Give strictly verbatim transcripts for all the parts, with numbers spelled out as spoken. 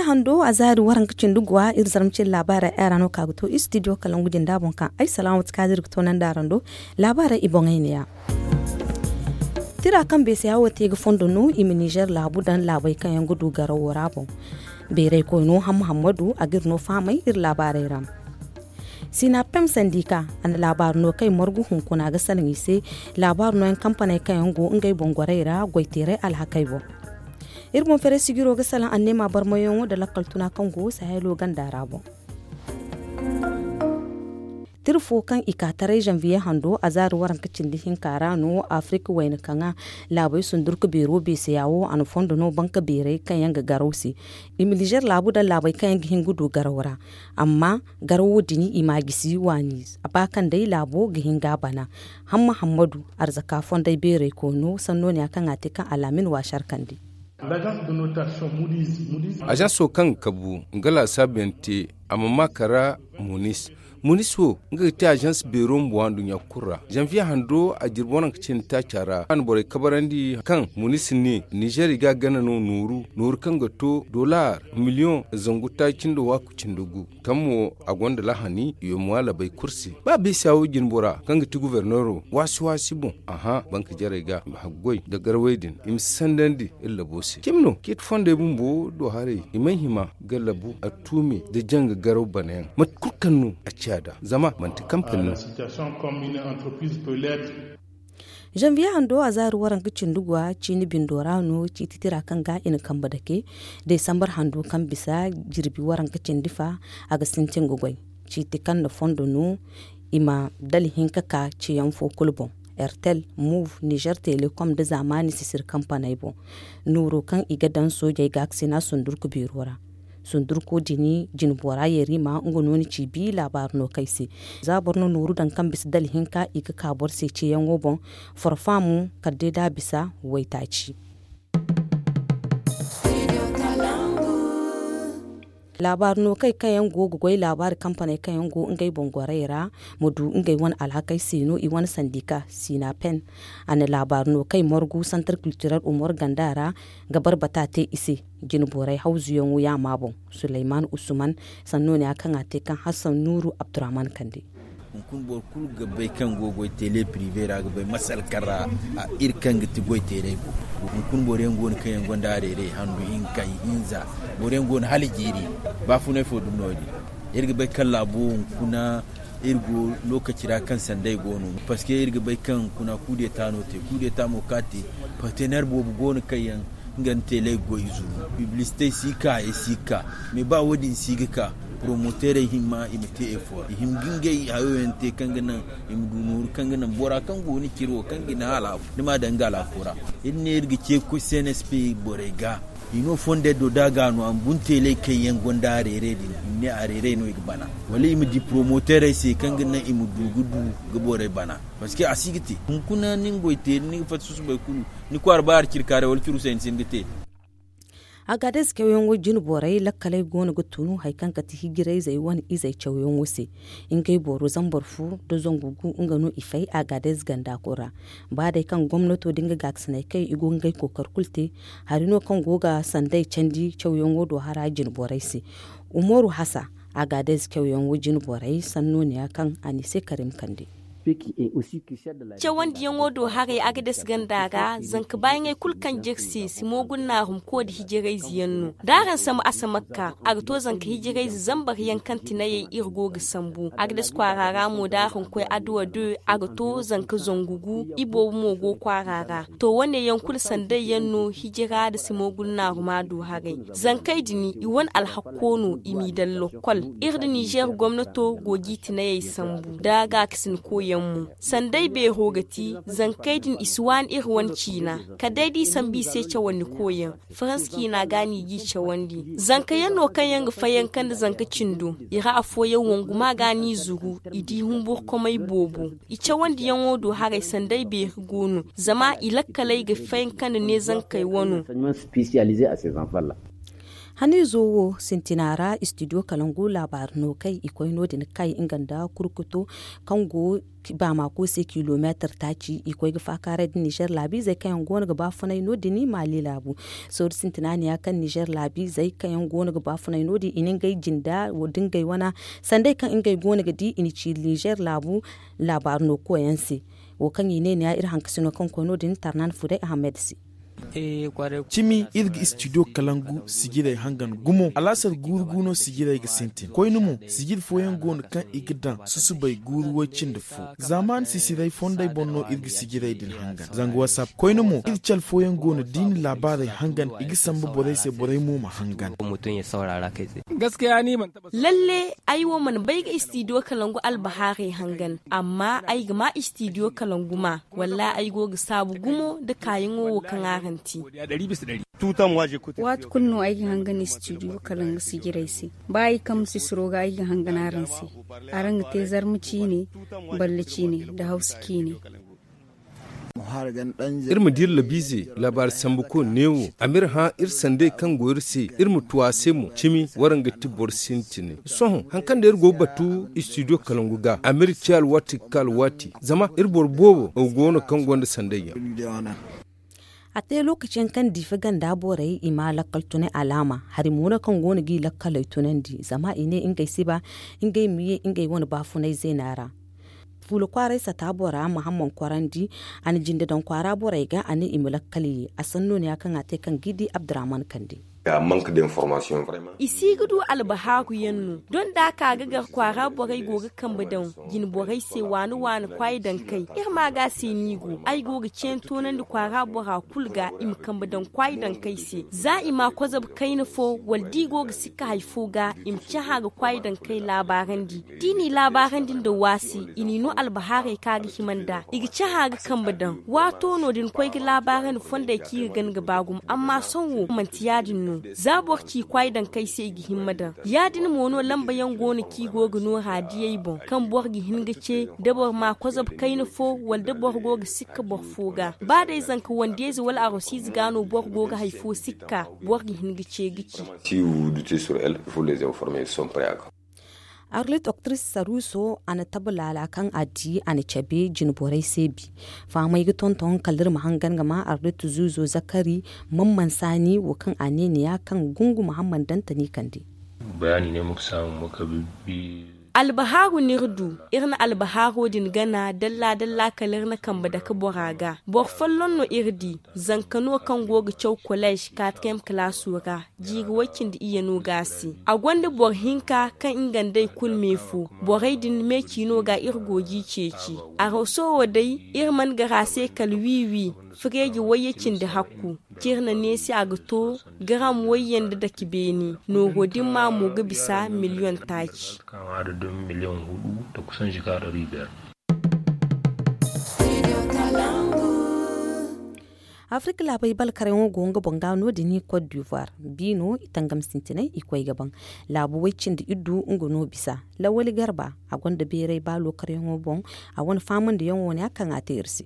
Hando a zaari waranka cindi guwa iri zarma cindi laabaarey ay ra no ka ga to istidiyo kalangu jinda boŋ kaŋ ay salaamatu kaadir ga to nandi araŋ do. Laabaarey i boŋey neeya. Tira kaŋ beesaya wo te ga fondo no i ma nizer laabu daŋ laabey kaŋ yaŋ ga du garawo ra boŋ. Beeray koyno hamma hammadu a ga iri no fahamay iri laabaarey ra. Sinapem sandika a na laabaari no kaŋ ay margu hunkuna ga salaŋ i se. Laabaari nooyaŋ kampaney kaŋ yaŋ go ngey boŋ gorey ra goyteeray alhakey boŋ. Iri boŋ fere sijiro ga salaŋ anneema barmayaŋo nda lakkal tuna kaŋ go sahelo ganda ra boŋ. Tira fo kaŋ i ka taray zanviye hando a zaari waranka cindi hinka ra no afirika wayna kaŋa laabey sundurka beero beeseya wo a na fondo no banka beerey kaŋ yaŋ ga garaw se. I ma nizer laabu daŋ laabey kaŋ yaŋ ga hin ga du garaw ra. Amma garawo din i ma a gisi waani a ba kaŋ day laabo ga hin ga a bana. Hamma hammadu arzaka fondey beerey koyno sanno ne ya kaŋ a te kaŋ alaamin waasar kande. Azanso kaŋ ga kabu nga laasaabu yaŋ te a ma maa kara munis. Munis wo nga ga te azans beero ma boŋ anduɲɲa kulu ra zanviye hando a jirbi waranka cindi taaca ra a na borey kabarandi kaŋ munis ne nizer i ga a gana no nooru nooru kaŋ ga to dolar miliyoŋ zangu taaci nda waaku cindi gu. Kaŋ mo a gonda lahani i ma ŋwa labey kulu se ba beesa wo jinbora kaŋ ga ti guverneero waasi waasi boŋ. Aha banka jarey ga i ma haggoy nda garawey din i ma si sandandi iri labo se cimi no ciiti fondey bumbo do haray i may hima ga labu attuumi nda janga garaw banayaŋ mate kulu kaŋ no a ciya nd'a zama manti kampani no. Zanviye hando a zaari waranka cindi guwa ciini bindo ra no ciiti tira kaŋ ga i na kambe dake desambar hando kaŋ bisa jirbi waranka cindi fa a ga sintin ga goy. Ciiti kaŋ na fondo no i ma dala hinka ka ciyaŋ fo kulu boŋ. Ertel, move, nizer telekom nda zaamaani sisir kampaney boŋ. Nooro kaŋ i ga daŋ soojey gaakasina sundurku beero ra. Sundurko din jinbora yerima nga no ni ci bi laabaari no kay se. Za boro na nooru daŋ kaŋ bisa dala hinka i ga ka boro se ceeyaŋo boŋ. Forfa mo kala day da a bisa waytaaci. Laabaari no kay kaŋ yaŋ go ga goy laabaari kampaney kaŋ yaŋ go ngey boŋ gorey ra ma du ngey wane alhakey se no i wane sandika sinapen. A na laabaari no kay margu santar kiltirel umar ganda ra ga barbata te i se. Jinborey hawzuyaŋo yaama boŋ suleyman usman sanno ne a kaŋ a te kaŋ hassan nuuru abdurrahman kande. Hunkuna boro kulu ga bay kaŋ go goy tele prive ra ga bay masal kaŋ ra iri kaŋ ga ti goy teerey go. Hunkuna boro yaŋ go no kaŋ yaŋ gonda a reeray handu hinka ihinza. Boro yaŋ go no hala jiiri baafunay fo dumi no- din. Iri ga bay kaŋ laabo hunkuna iri go lokaci ra kaŋ sanday go no parceque iri ga bay kaŋ hunkuna kudeta no te kudeta mo kaŋ a te partenaire boobo go no kaŋ yaŋ nga nda teeley ga goy i zuru. Piblisitey si ga ka hayey si ga ka. Mais ba wo- din si ga ka poromoterey himma i ma te efort i hima ga ngey hayo yaŋ te kaŋ ga naŋ i ma du nooru kaŋ ga naŋ bora kaŋ go ni ciro kaŋ ga ni hala ni m'a daŋ nga alaako ra. Iri ne iri ga ce cnsp borey ga i no fondey do da a ga no a ma bunteeley kaŋ yaŋ gonda a reere din i ma ne a reerey no i ga bana wala i ma di poromoterey se kaŋ ga naŋ i ma du ga du ga borey bana. Parceque a si ga te hunkuna ni nga goy teeri ni ga fatta susubay kulu ni kwaara ba hari ciri kaaray wala curu se ni si hin ga te. Agades cawyaŋo jine borey lakkaley go no ga tunu hari kaŋ kate hijirayzey wane izey cawyaŋo se. Ngey boro zambar fu nda zangu gu nga no i fay agades ganda kulu ra. Ba day kaŋ gomnato da nga gaakasinay kay i go ga ngey kookari kulu te. Hari no kaŋ go ga sanday candi cawyaŋo do hara jine borey se. Umaru hasa agades cawyaŋo jine borey sanno ne ya kaŋ a ne se karim kande. Cawandiyaŋo do haray agades ganda ra zanka baayaŋey kulu kaŋ jere se si moogun naarum koy da hijirayze yaŋ no da araŋ sambu asamakka a ga to zanka hijirayze zambar yaŋ kaŋ tinayey iri go ga sambu agades kwaara ra mo da araŋ koy adduwa de a ga to zanka zangu gu iboobo mo go kwaara ra. To wane yaŋ kulu sanday yaŋ no hijira nda si moogun naaruma do haray. Zankey din i wane alhakko no i m'i daŋ lokkol. Iri nda nizer gomnato go ga i tinayey sambu da gaakasinkoyaŋ mo. Sanday beero ga ti zankey din i si waani iri wane ciina kala day da i sambu i se cawandikoyaŋ. Farans ciina ga no i g'i cawandi. Zanka yaŋ no kaŋ yaŋ ga fayanka nda zanka cindo i ra afooyaŋ wanguma ga no i zuru i di humburkomey boobo. I cawandiyaŋo do haray sanday beeri go no zama i lakkaley ga fayanka nda neezankey wano. Haniizo wo sintina ra istidiyo kalangu laabaari no kay i koy no- din kay nga nda kurkuto kaŋ go baamako se kilomeetir taaci i koy ga faakaaray nda nizer laabiizey kaŋ yaŋ go no ga baafunay no- din maali laabu. Sooru sintina ne ya kaŋ nizer laabiizey kaŋ yaŋ go no ga baafunay no- din i na ngey jinda da ngey wana sanday kaŋ ngey go no ga di i na ci nizer laabu laabaari no koyaŋ se. Wo kaŋ i ne ni ya iri hankasino kaŋ koy no- din tarnan fuday ahamed se. Cimi iri ga istidiyo kalangu sijirey hangan gumo alaasar guuru gu no sijirey ga sintin koyne mo sijiri fooyaŋ go no kaŋ i ga daŋ susubay guuru way cindi fo. Zaamaani sisiray fondey boŋ no iri ga sijirey din hangan zanga whatsapp koyne mo iri cale fooyaŋ go no da i na laabaarey hangan i ga samba borey se borey mo ma hangan. Lalle ay wo mana bay ga istidiyo kalangu albahaarey hangan amma ay ga ma istidiyo kalangu ma. Wallaahi ay go ga saabu gumo nda kaayaŋo wo kaŋ araŋ te. Waati kulu no ay ga hangan istidiyo kalangu sijirey se. Ba ay kambe sisiro ga ay ga hangan araŋ se. Araŋ ga te zarma ciine, balle ciine, nda hawsa ciine. Iri ma di iri labiize laabaari sambuko neewo a ma iri hã iri sanday kaŋ go iri se. Iri ma tu a se mo cimi waraŋ ga ti boro sintinay sohõ hari kaŋ day iri go ga batu istidiyo kalangu ga a ma iri ci alwaati ga ka alwaati zama iri boro boobo go no kaŋ gonda sanday yaŋ. A te lookaci yaŋ kaŋ diifa ganda borey i ma lakkal tunay alaama hari mo no kaŋ go no ga i lakkaley tunandi zama i ne ngey si ba ngey ma ye ngey wane baafunay zeena ra. Fuula kwaaray sata bora mahamman kwarandi a na jinde daŋ kwaara borey ga a ne i ma lakkal ye a sanno no ya kaŋ a te kaŋ ga i di abdurrahman kande. I si ga du albahaaru yaŋ no doŋ da a ka ga gar kwaara borey go ga kambe daŋ jine borey se waani waani kwaayi daŋ kay iri ma ga a se no i go ay go ga ceeni toonandi kwaara bora kulu ga i ma kambe daŋ kwaayi daŋ kay se za i ma a kwazabu kayna fo wala da i go ga sikka hari fo ga i ma cahã ga kwaayi daŋ kay laabaarandi. Da i n'i laabaarandi nda waasi i n'i no albahaarey kaŋ a ga hima nd'a i ga cahã ga kambe daŋ waato no da ni koy ga laabaarandi fondey kaŋ i ga gana ga ba gumo amma sohõ wo manti ya-din no. Za boro ci kwaayi daŋ kaŋ ay se i ga hima daŋ ya-din mo no lamba yaŋ go no kaŋ i go ga nooru a diyey boŋ kaŋ boro ga hin ga ce da boro ma a kwazabu kayna fo wala da boro go ga sikka boro fo ga ba day zanka wande-ize wala arosiize ga no boro go ga hari fo sikka boro ga hin ga ce ga ci. Arlit oktris saruso a na tabu laala kaŋ a di a na cabe jine borey se bi. Fahamey ga tonton kala iri ma hangan ga ma arlit zuuzo zakari, man mansaani wo kaŋ a ne ni ya kaŋ gungu muhammad dantani kande. Albahaaru no iri du. Iri na albahaaro din gana dalla dalla kala iri na kambe dake bora ga boro folloŋ no iri di. Zanka no kaŋ go ga caw koleez katriyem kalaaso ra jiiri way-cindi iyye no ga a se. A gonda boro hinka kaŋ nga nd'ey kulu me fo. Borey din me ciino ga iri go g'i ceeci. Araso wo day iri mana gar a se kala wi-wi. Fireeji wayye cindi hakku. Ciri na neesi a ga to garam wayye nda dake beene. Nooro din ma mo ga bisa miliyoŋ taaci. Afirka laabey balkaryaŋo go nga boŋ ga no- din kot d'ivoire. Biino i tangam sintinay i koy ga baŋ. Laabu way-cindi iddu nga no bisa. Lawali garba a gonda beeray ba lookaryaŋo boŋ. A wane faamandiyaŋo ne a kaŋ a te iri se.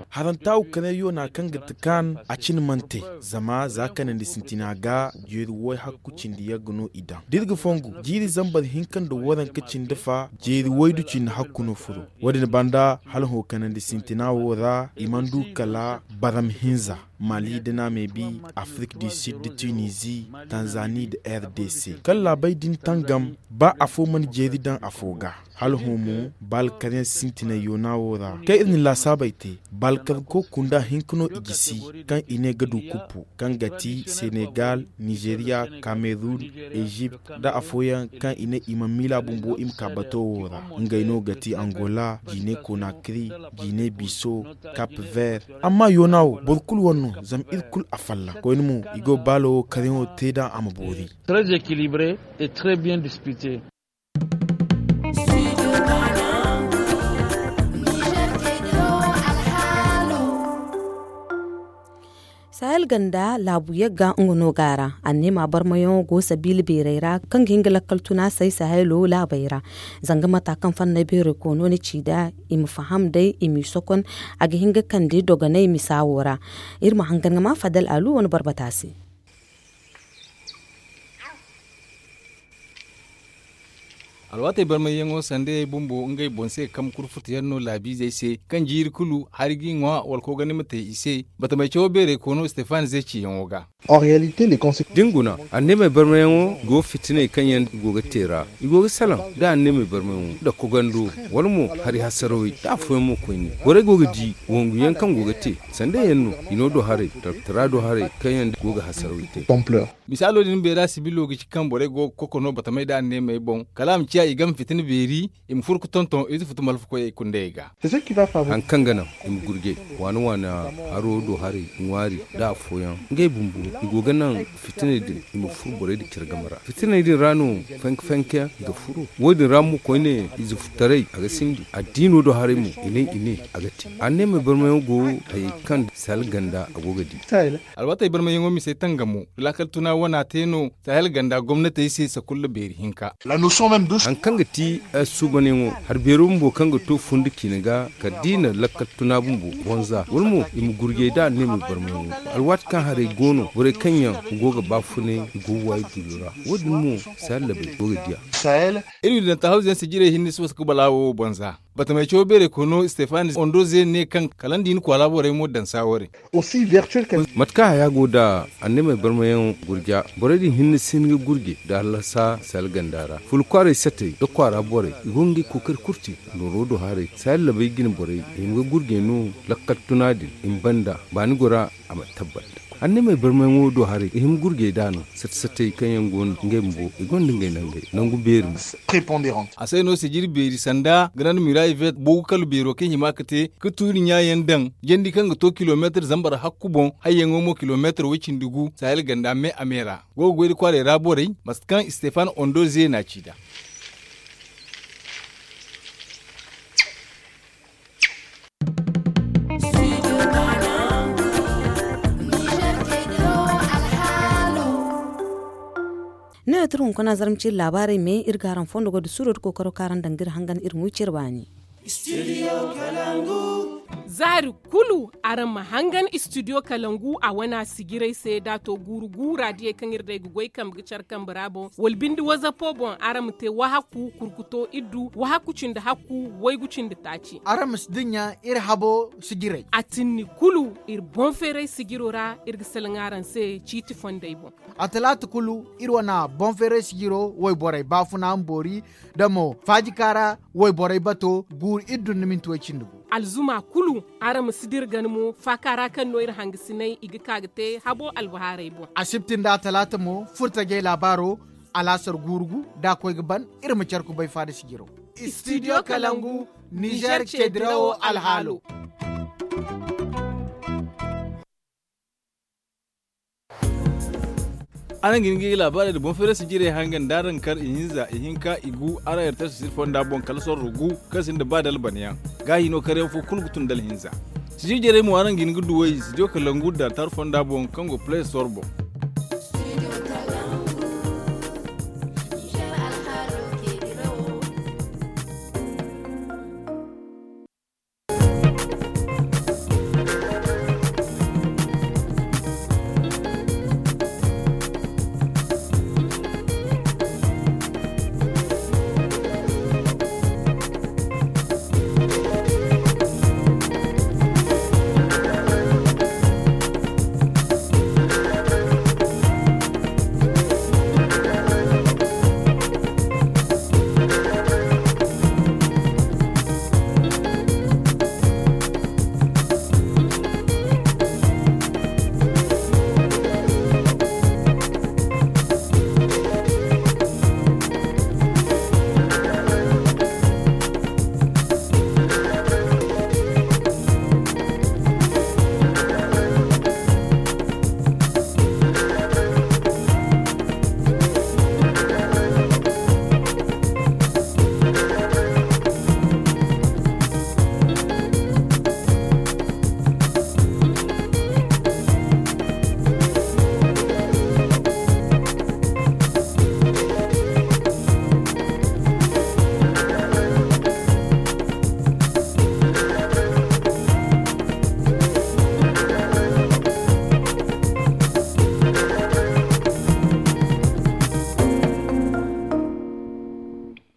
Haranta wo kane yoona kaŋ ga ti kaan a cine mana te. Zama za kanandi sintina ga jeeri way hakku cindi yagga no i daŋ da iri ga fongu jiiri zambar hinka nda waranka cindi fa jeeri waydu cindi hakku no furo. Wo- din banda hala hõ kanandi sintina wo ra i mana du kala baram hinza. Mali da na me bi afrik du sud da tunisie, tanzanie da rdc kala laabey din tangam. Ba afo mana jeeri daŋ afo ga hala hõ mo ba alkaryaŋ sintinay yoona wo ra kaŋ iri na laasaabey te. Ba alkarko kunda hinka no i gisi kaŋ i ne ga du kuppu kaŋ ga ti senegal, nizeria, cameroun, egypte, da afooyaŋ kaŋ i ne i mana miila bumbo i ma ka bato wo ra. Ngey no ga ti angola, jine konakri, jine biso, cap vert. Amma yoona wo boro kulu wane no zama iri kulu a falla koyne mo i go baalo wo karyaŋo te da a ma boori. Très équilibré et très bien dispité. Sahel ganda laabu yagga nga no ga a ra. Anneema barmayaŋo go sabiila beerey ra kaŋ ga hin ga lakkal tuna say sahelo laabey ra. Zanga mata kaŋ fanney beerey koono na ci nd'a, i ma faham day i m'i sokon. A ga hin ga kande dogonay misa wo ra. Iri ma hangan ga ma fadal alu wane barbata se. Alwaatey barmayyaŋo sandayey bumbo ngey boŋ se ga kambe kurfutu yaŋ no laabiizey se, kaŋ jiiri kulu hari g'i ŋwa wala koogandi ma te i se. Batamey cawo beerey koono stefan zey ciyaŋo ga. Da ni guna, anneemey barmayaŋo go fitiney kaŋ yaŋ i go ga te ra. I go ga salaŋ da anneemey barmayaŋo nda kogando, wala mo hari hasarawey da afooyaŋ mo koyne. Borey go ga di wangu yaŋ kaŋ go ga te sanda yaŋ no, i no do haray, talkatara do haray kaŋ yaŋ go ga hasarawey te. Misaalo din beera sibilo ga ci kaŋ borey go ga kokono batamey da anneemey boŋ, kala a ma ciya i game fitina beeri, i ma furo ga tonton ize futu malfakoyey kundayey ga. Hari kaŋ ga naŋ i ma gurjay waana waana haro do haray ŋwaari nda afooyaŋ, ngey bumbo i go ga naŋ fitiney din i ma furo borey din care game ra. Fitiney din ra no fanke fanke i ga furo. Wo- din ra mo koyne ize futtaray a ga sindi addiino do haray mo i ne i ne a ga te. Anneemey barmayaŋo go hayey kaŋ sahel ganda a go ga di. Alwaatey barmayaŋo misey tangamo da laakal tuna wana te no sahel ganda gomnatey se sakulla beeri hinka. Hari kaŋ ga ti suubanyaŋo hari beero bumbo kaŋ ga to fundi ciine ga kala da i na lakkal tuna bumbo bonza wala mo i ma gurjay da anneemey barmayaŋo. Alwaati kaŋ haray go no borey kaŋ yaŋ go ga baafunay i go ga waayi dulo ra. Wo- din mo sahel labey go ga diya. Iri ma danta hawzu yaŋ sijirey hinne si wasa ga balaawo wo bonza. Batamey cawo beerey koyno stefan ondoze ne kaŋ kala nda i na kwaara borey mo daŋ saaware. Mate kaŋ haya go nda anneemey barmayaŋo gurja, borey din hinne si hin ga gurje nda hallasa sahel ganda ra. Fula kwaaray satey nda kwaara borey i go ga ngey kookari kulu te. Nooro do haray sahel labey jine borey i hima ga gurje no lakkal tuna din i ma banda baani gora a ma tabbat. Anneemey barmayaŋo do haray i hima gurjey da no sate satey kaŋ yaŋ go no ngey bumbo i gonda ngey nangey nangu beeri mo. A se no sijiri beeri sanda grand miraille vert boogu kala beero kaŋ hima ga te ga tuuri ɲaayaŋ daŋ jandi kaŋ ga to kilomeetar zambar hakku boŋ hayyaŋo mo kilomeetar way cindi gu sahel ganda me a me ra. Go ga goy nda kwaarey ra borey mate kaŋ stefan ondo zeena ci nd'a. Ne ya turu hunkuna zarma ciri laabaarey me iri ga araŋ fondo goy da suuro da kookaro kaŋ araŋ daŋ ga iri hangan iri ma wi cire baani. Zaari kulu araŋ ma hangan istidiyo kalangu a wana sijirey se da a to guuru gu raadiyey kaŋ iri day ga goy kambe ga care kambe ra boŋ wala binde wazapo boŋ araŋ ma te wahakku kurkuto iddu wahakku cindi hakku waygu cindi taaci. Araŋ ma si dinya iri habo sijirey a tinni kulu iri boŋ feeray sijiro ra iri ga salaŋ araŋ se ciiti fondey boŋ. A talaata kulu iri wane boŋ feeray sijiro wayborey baafuna ma boori da mo faajikaara wayborey bato guuru iddu nda minti way cindi gu. Alzuma kulu araŋ ma si dira gana mo faaka ra kaŋ no iri hangasiney i ga ka ga te habo albahaarey boŋ. Asibti nda atalaata mo furtajey laabaaro alaasar guuru gu da a koy ga ban iri ma care kubay faada sijiro. Istidiyo kalangu nizer ceedirawo alhaalo. Araŋ ga hin ga i laabaarey nda boŋ feerasi jirey hangan da araŋ kar ihinza ihinka igu araŋ yartay sosir fonda boŋ kala sorro gu kaŋ sinda ba dalban yaŋ. Gaahi no karyaŋ fo kulu ga tun dalhinza. Sijir jarey mo araŋ ga hin ga duw'ey sidiyo kalangu da tar fonda boŋ kaŋ go play store boŋ.